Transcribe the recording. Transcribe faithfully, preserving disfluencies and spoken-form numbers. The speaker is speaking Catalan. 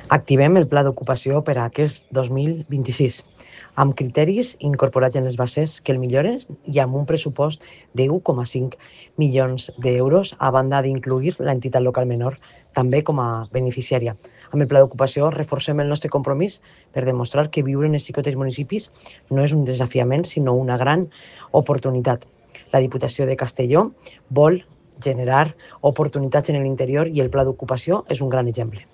Activem el pla d'ocupació per a aquest dos mil vint-i-sis, amb criteris incorporats en les bases que el milloren i amb un pressupost de u coma cinc milions d'euros, a banda d'incluir l'entitat local menor també com a beneficiària. Amb el pla d'ocupació reforcem el nostre compromís per demostrar que viure en els xicotets municipis no és un desafiament, sinó una gran oportunitat. La Diputació de Castelló vol generar oportunitats en l'interior i el pla d'ocupació és un gran exemple.